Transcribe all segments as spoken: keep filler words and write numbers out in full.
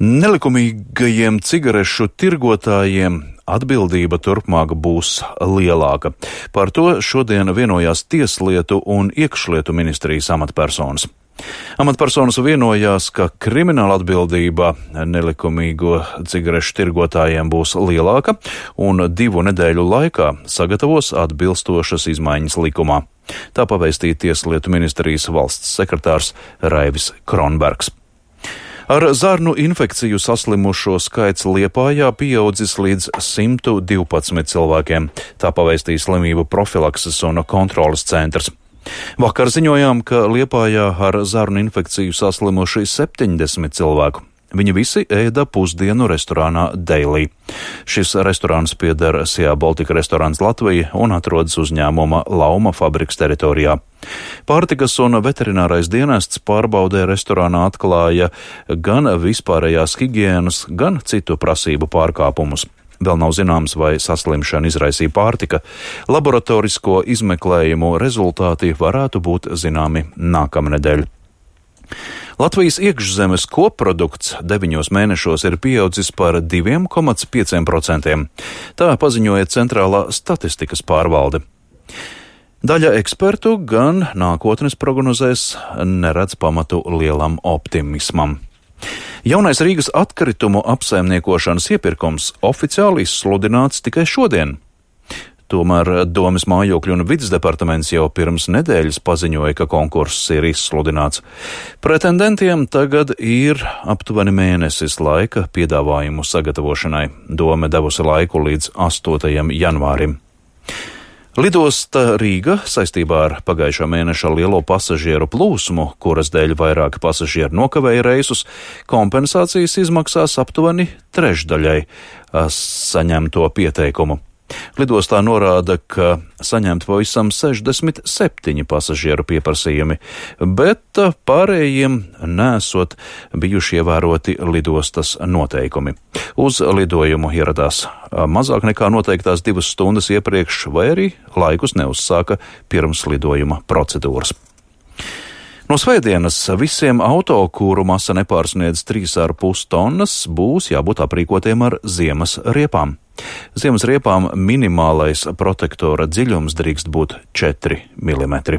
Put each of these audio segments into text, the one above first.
Nelikumīgajiem cigarešu tirgotājiem atbildība turpmāk būs lielāka. Par to šodien vienojās Tieslietu un Iekšlietu ministrijas amatpersonas. Amatpersonas vienojās, ka krimināla atbildība nelikumīgo cigarešu tirgotājiem būs lielāka un divu nedēļu laikā sagatavos atbilstošas izmaiņas likumā. Tā pavēstīja Tieslietu ministrijas valsts sekretārs Raivis Kronbergs. Ar zarnu infekciju saslimušo skaits Liepājā pieaudzis līdz simt divpadsmit cilvēkiem. Tā pavēstīja slimību profilakses un kontroles centrs. Vakar ziņojām, ka Liepājā ar zarnu infekciju saslimuši septiņdesmit cilvēku. Viņi visi ēda pusdienu restorānā Daily. Šis restorāns pieder Sea Baltica Restorāns Latvija un atrodas uzņēmuma Lauma fabriks teritorijā. Pārtikas un veterinārais dienests pārbaudē restorānā atklāja gan vispārējās higienas, gan citu prasību pārkāpumus. Vēl nav zināms, vai saslimšana izraisīja pārtika. Laboratorisko izmeklējumu rezultāti varētu būt zināmi nākamnedēļ. Latvijas iekšzemes koprodukts deviņos mēnešos ir pieaudzis par divi komats pieci procenti. Tā paziņoja Centrālā statistikas pārvalde. Daļa ekspertu gan nākotnes prognozēs neredz pamatu lielam optimismam. Jaunais Rīgas atkritumu apsaimniekošanas iepirkums oficiāli izsludināts tikai šodien. Tomēr Domes mājokļu un vides departaments jau pirms nedēļas paziņoja, ka konkurss ir izsludināts. Pretendentiem tagad ir aptuveni mēnesis laika piedāvājumu sagatavošanai. Dome devusi laiku līdz astotajam janvārim. Lidosta Rīga saistībā ar pagājušā mēneša lielo pasažieru plūsmu, kuras dēļ vairāki pasažieri nokavēja reisus, kompensācijas izmaksās aptuveni trešdaļai saņemto pieteikumu. Lidostā norāda, ka saņemt pavisam sešdesmit septiņi pasažieru pieprasījumi, bet pārējiem nesot bijuši ievēroti lidostas noteikumi. Uz lidojumu ieradās mazāk nekā noteiktās divas stundas iepriekš, vai arī laikus neuzsāka pirms lidojuma procedūras. No svētdienas visiem auto, kuru masa nepārsniedz trīs ar pus tonnas, būs jābūt aprīkotiem ar ziemas riepām. Ziemas riepām minimālais protektora dziļums drīkst būt četri milimetri.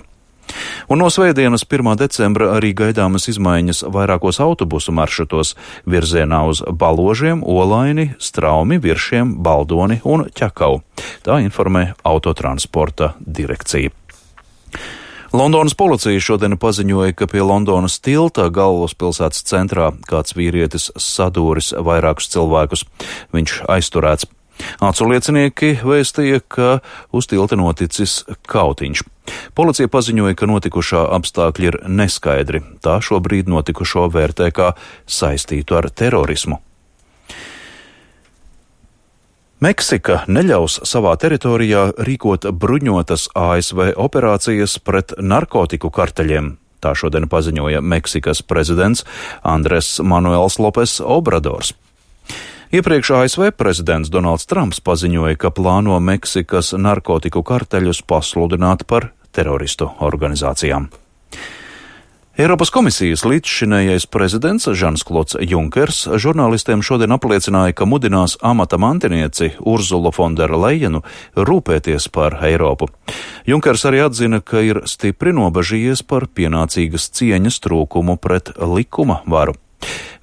Un no svētdienas pirmā decembra arī gaidāmas izmaiņas vairākos autobusu maršrutos virzienā uz Baložiem, Olaini, Straumi, Viršiem, Baldoni un Ķekau. Tā informē Autotransporta direkcija. Londonas policija šodien paziņoja, ka pie Londonas tilta galvaspilsētas centrā kāds vīrietis sadūris vairākus cilvēkus. Viņš aizturēts. Acu liecinieki vēstīja, ka uz tilta noticis kautiņš. Policija paziņoja, ka notikušā apstākļi ir neskaidri. Tā šobrīd notikušo vērtē kā saistītu ar terorismu. Meksika neļaus savā teritorijā rīkot bruņotas A S V operācijas pret narkotiku karteļiem. Tā šodien paziņoja Meksikas prezidents Andres Manuels Lopes Obradors. Iepriekš A S V prezidents Donalds Trumps paziņoja, ka plāno Meksikas narkotiku karteļus pasludināt par teroristu organizācijām. Eiropas komisijas līdzšinējais prezidents Žans-Klods Junkers žurnālistiem šodien apliecināja, ka mudinās amata mantinieci Urzulu Fonderu Lejenu rūpēties par Eiropu. Junkers arī atzina, ka ir stipri nobažījies par pienācīgas cieņas trūkumu pret likuma varu.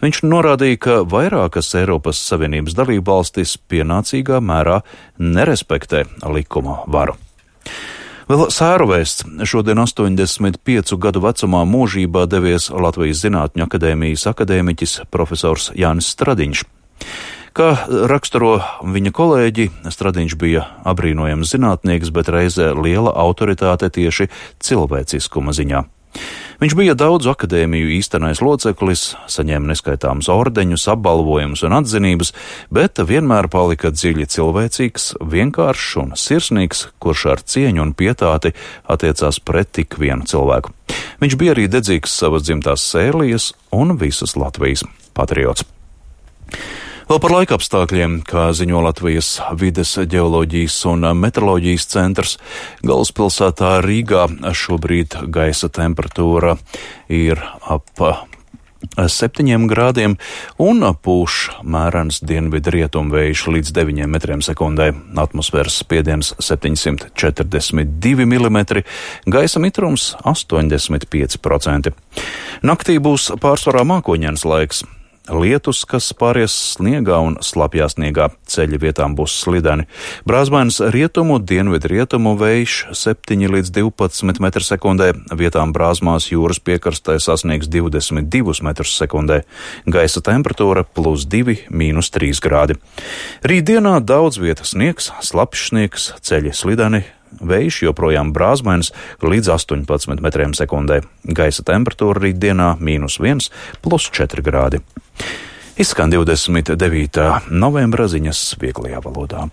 Viņš norādīja, ka vairākas Eiropas Savienības dalībvalstis pienācīgā mērā nerespektē likuma varu. Vēl sēru vēsts. Šodien astoņdesmit piecu gadu vecumā mūžībā devies Latvijas Zinātņu akadēmijas akadēmiķis profesors Jānis Stradiņš. Kā raksturo viņa kolēģi, Stradiņš bija abrīnojams zinātnieks, bet reizē liela autoritāte tieši cilvēciskuma ziņā. Viņš bija daudzu akadēmiju īstenais loceklis, saņēma neskaitāmus ordeņus, apbalvojumus un atzinības, bet vienmēr palika dziļi cilvēcīgs, vienkāršs un sirsnīgs, kurš ar cieņu un pietāti attiecās pret tik vienu cilvēku. Viņš bija arī dedzīgs savas dzimtās Sēlijas un visas Latvijas patriots. Vēl par laikapstākļiem, kā ziņo Latvijas vides, ģeoloģijas un meteoroloģijas centrs, galvaspilsētā Rīgā šobrīd gaisa temperatūra ir ap septiņiem grādiem un pūš mērens dienvidu rietumu vējš līdz deviņiem metriem sekundē. Atmosfēras spiediens septiņsimt četrdesmit divi milimetri, gaisa mitrums astoņdesmit pieci procenti. Naktī būs pārsvarā mākoņains laiks. Lietus, kas pāries sniegā un slapjā sniegā, ceļi vietām būs slideni. Brāzmainis rietumu, dienvidu rietumu vējš septiņi līdz divpadsmit metri sekundē, vietām brāzmās jūras piekrastē sasniegs divdesmit divus metrus sekundē. Gaisa temperatūra plus divi, mīnus trīs grādi. Rītdienā daudz vietas sniegs, slapjš sniegs, ceļi slideni. Vējš joprojām brāzmainis līdz astoņpadsmit metriem sekundē. Gaisa temperatūra rītdienā mīnus viens, plus četri grādi. Izskan divdesmit devītā novembra ziņas vieglajā valodā.